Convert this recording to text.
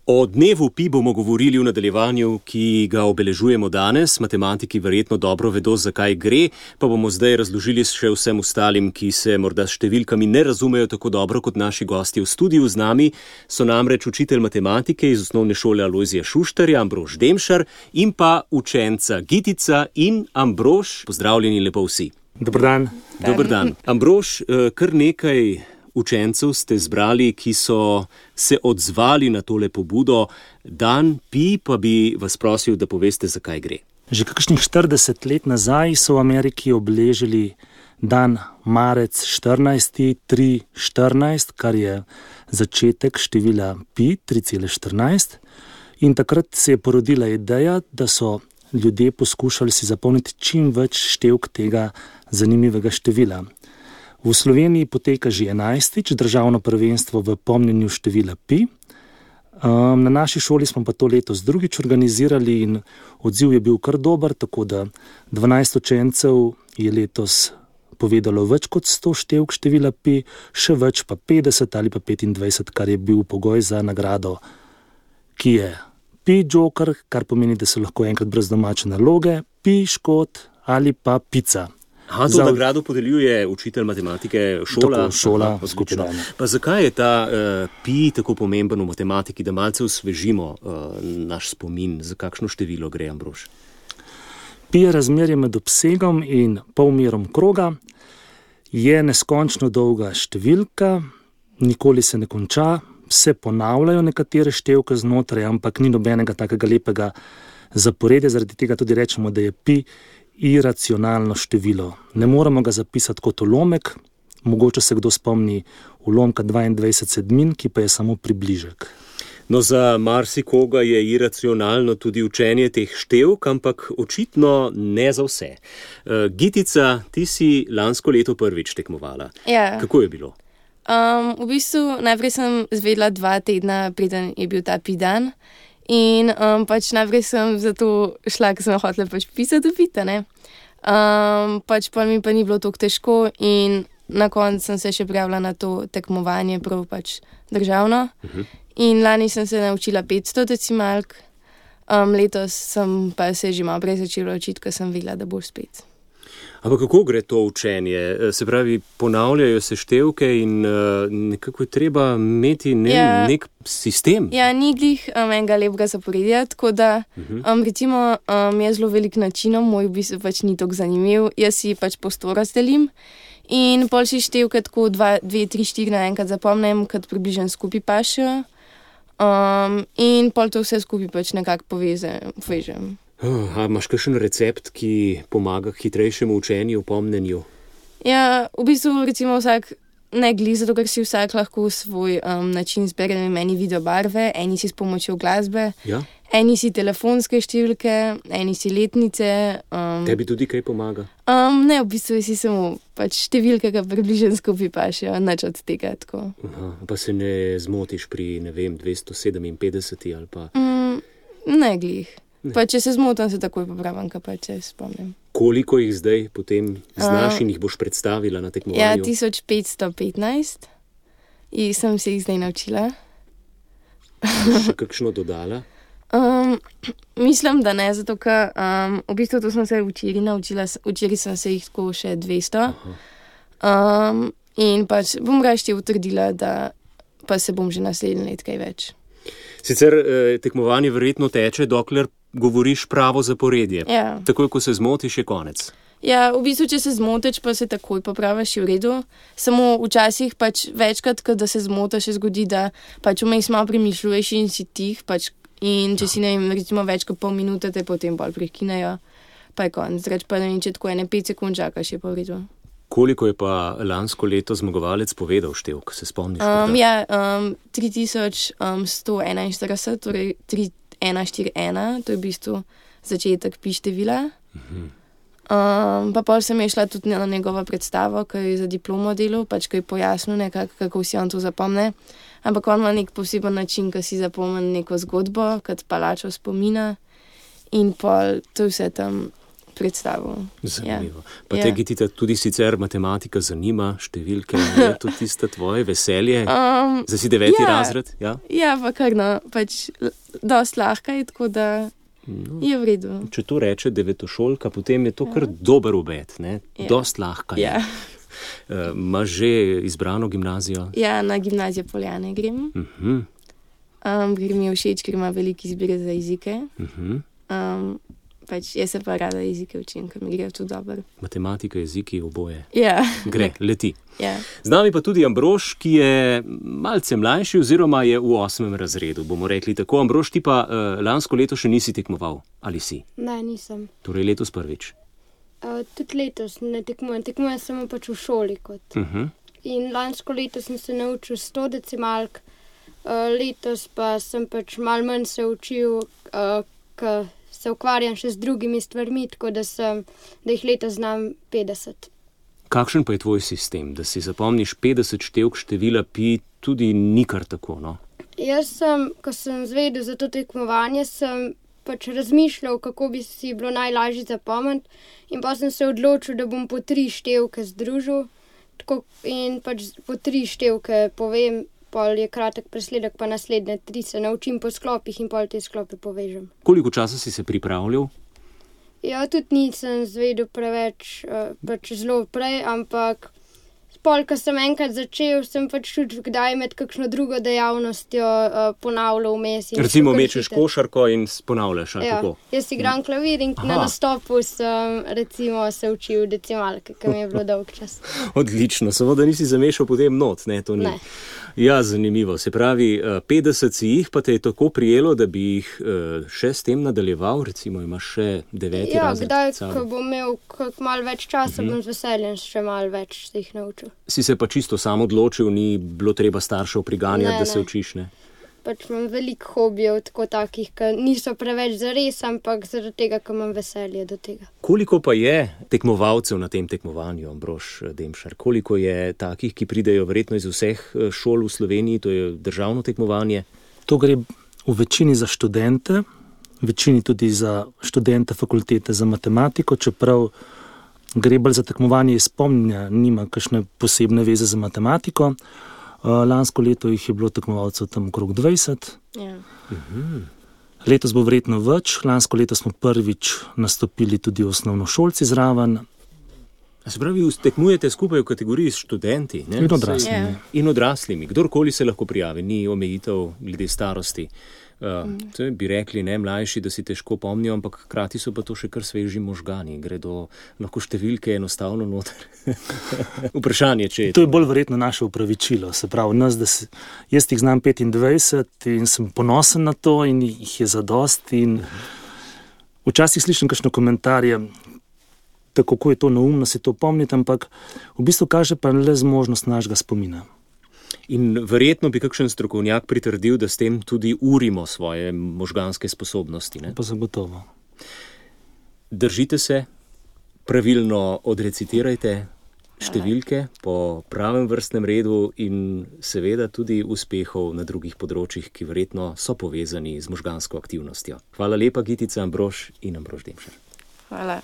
O dnevu pi bomo govorili v nadaljevanju, ki ga obeležujemo danes. Matematiki verjetno dobro vedo, zakaj gre, pa bomo zdaj razložili še vsem ostalim, ki se morda s številkami ne razumejo tako dobro kot naši gostje v studiu. Z nami so namreč učitelj matematike iz osnovne šole Alojzija Šuštarja, Ambrož Demšar, in pa učenca Gitica in Ambrož. Pozdravljeni lepo vsi. Dober dan. Dober dan. Ambrož, kar nekaj učencev ste zbrali, ki so se odzvali na tole pobudo. Dan pi, pa bi vas prosil, da poveste, zakaj gre. Že kakšnih 40 let nazaj so v Ameriki obeležili dan marec 14.3.14, kar je začetek števila pi 3,14. In takrat se je porodila ideja, da so ljudje poskušali si zapomniti čim več števk tega zanimivega števila. V Sloveniji poteka že 11. državno prvenstvo v pomnjenju števila pi. Na naši šoli smo pa to letos drugič organizirali in odziv je bil kar dober, tako da 12 učencev je letos povedalo več kot 100 števk števila pi, še več pa 50 ali pa 25, kar je bil pogoj za nagrado, ki je pi joker, kar pomeni, da se lahko enkrat brez domače naloge, pi škot ali pa pica. To nagrado podeljuje učitelj matematike šola? Tako, šola, skupina. Pa zakaj je ta pi tako pomemben v matematiki, da malce osvežimo naš spomin? Za kakšno število gre, Ambrož? Pi je razmerje med obsegom in polmerom kroga, je neskončno dolga številka, nikoli se ne konča, se ponavljajo nekatere števke znotraj, ampak ni nobenega takega lepega zaporedja, zaradi tega tudi rečemo, da je pi iracionalno število. Ne moremo ga zapisati kot ulomek, mogoče se kdo spomni ulomka 22 sedmin, ki pa je samo približek. No, za marsikoga je iracionalno tudi učenje teh števk, ampak očitno ne za vse. Gitica, ti si lansko leto prvič tekmovala. Ja. Kako je bilo? V bistvu najprej sem zvedela 2 tedna, preden je bil ta pi dan. In najprej sem zato šla, ker sem hotela pisati pita, ne. Pa mi pa ni bilo toliko težko in na koncu sem se še prijavila na to tekmovanje, prav državno. In lani sem se naučila 500 decimalk, letos sem pa se že malo prej začela učiti, ker sem videla, da bo spet. Ampak kako gre to učenje? Se pravi, ponavljajo se števke in nekako je treba imeti nek sistem? Ja, ni glih enega lepega zaporedja, tako da recimo je zelo velik načinov, moj v bistvu ni tako zanimiv, jaz si prostor razdelim in pol si števke tako 2, 3, 4 naenkrat zapomnim, kad približno skupaj pašejo in pol to vse skupaj nekako povežem. Imaš kakšen recept, ki pomaga k hitrejšemu učenju, pomnenju? Ja, v bistvu recimo vsak ne glih, zato ker si vsak lahko svoj način zbere, eni video barve, eni si s pomočjo glasbe, ja? Eni si telefonske številke, eni si letnice. Tebi tudi kaj pomaga? Ne, v bistvu si samo številke, ki približno skupaj pašejo, nič od tega tako. Pa se ne zmotiš pri, 257 ali pa? Ne glih. Če se zmotam, se takoj popravim, kaj če spomnim. Koliko jih zdaj potem znaš in jih boš predstavila na tekmovanju? Ja, 1515 in sem se jih zdaj naučila. Še kakšno dodala? Mislim, da ne, zato ker v bistvu to sem se včeraj naučila, včeraj sem se jih tako še 200. In bom raje utrdila, da pa se bom že naslednje let kaj več. Sicer tekmovanje verjetno teče, dokler govoriš pravo zaporedje. Ja. Takoj, ko se zmotiš, je konec. Ja, v bistvu, če se zmotiš, pa se takoj popraviš, je v redu. Samo včasih večkrat, da se zmotiš, se zgodi, da vmes malo premišljuješ in si tih, in če si recimo več kot pol minute, te potem bolj prekinejo, pa je konec. Če tako 5 sekund čakaš, je pa v redu. Koliko je pa lansko leto zmagovalec povedal števk, se spomniš? 3141, torej 3141, to je v bistvu začetek pi števila. Pa pol sem je šla tudi na njegovo predstavo, ki je za diplomo delal, ki je pojasnil nekako, kako si on to zapomne. Ampak on ima nek poseben način, ki si zapomni neko zgodbo, kot palačo spomina in pol to vse tam predstavil. Zanimivo. Pa te, Gitita, tudi sicer matematika zanima, številke, je to tista tvoje veselje? Zdaj si 9. razred? Ja, pa kar pač dosti lahka je, tako da je v redu. Če to reče devetošolka, potem je to kar dober obet, ne? Dosti lahka je. Imaš že izbrano gimnazijo? Ja, na gimnazijo Poljane grem. Ker mi je všeč, ker ima veliki izbire za jezike. Pač jaz se pa rada jezike učim, ker mi grejo tu dobro. Matematika, jeziki, oboje. Ja. Gre, leti. Ja. Z nami pa tudi Ambrož, ki je malce mlajši oziroma je v 8. razredu, bomo rekli tako. Ambrož, ti pa lansko leto še nisi tekmoval, ali si? Ne, nisem. Torej letos prvič. Tudi letos ne tekmujem samo pač v šoli kot. In lansko leto sem se naučil 100 decimalk, letos pa sem pač malo manj se učil, ker se ukvarjam še z drugimi stvarmi, tako da jih letos znam 50. Kakšen pa je tvoj sistem, da si zapomniš 50 števk števila pi, tudi ni kar tako, no? Jaz ko sem zvedel za to tekmovanje, sem pač razmišljal, kako bi si bilo najlažje zapomniti, in pa sem se odločil, da bom po 3 števke združil, in pač po 3 števke povem, pol je kratek presledek, pa naslednje 3 se naučim po sklopih in pol te sklope povežem. Koliko časa si se pripravljal? Ja, tudi nisem zvedel preveč, pač zelo prej, ampak pol, ko sem enkrat začel, sem pač tudi kdaj med kakšno drugo dejavnostjo ponavljal vmes. Recimo mečeš košarko in ponavljaš, ali kako? Jaz igram klavir in na nastopu sem recimo se učil decimalke, ker mi je bilo dolg čas. Odlično, samo da nisi zamešal potem not, ne, to ni. Ne. Ja, zanimivo. Se pravi, 50 si jih, pa te je tako prijelo, da bi jih še s tem nadaljeval, recimo imaš še 9. razred. Kdaj, ko bom imel malo več časa, bom z veseljem še malo več se jih naučil. Si se pa čisto sam odločil, ni bilo treba staršev priganjati, da se učiš, ne? Pač imam veliko hobijev, tako takih, ki niso preveč zares, ampak zaradi tega, ker imam veselje do tega. Koliko pa je tekmovalcev na tem tekmovanju, Ambrož Demšar? Koliko je takih, ki pridejo verjetno iz vseh šol v Sloveniji, to je državno tekmovanje? To gre v večini za študente, v večini tudi za študente fakultete za matematiko, čeprav gre bolj za tekmovanje iz spomnja, nima kakšne posebne veze za matematiko. Lansko leto jih je bilo tekmovalcev tam okrog 20. Ja. Letos bo verjetno več. Lansko leto smo prvič nastopili tudi osnovnošolci zraven. Se pravi, tekmujete skupaj v kategoriji s študenti, ne? In odraslimi. In odraslimi. Kdorkoli se lahko prijavi, ni omejitev glede starosti. To bi rekli, ne, mlajši, da si težko pomnijo, ampak hkrati so pa to še kar sveži možgani. Gredo lahko številke enostavno noter. Vprašanje, če je to je bolj verjetno naše upravičilo. Se pravi, jaz jih znam 25 in sem ponosen na to in jih je zadosti. In včasih slišim kakšne komentarje, tako kako je to neumno si to pomniti, ampak v bistvu kaže pa le zmožnost našega spomina. In verjetno bi kakšen strokovnjak pritrdil, da s tem tudi urimo svoje možganske sposobnosti, ne? Pa zagotovo. Držite se, pravilno odrecitirajte številke po pravem vrstnem redu in seveda tudi uspehov na drugih področjih, ki verjetno so povezani z možgansko aktivnostjo. Hvala lepa, Gitica, Ambrož in Ambrož Demšar. Hvala.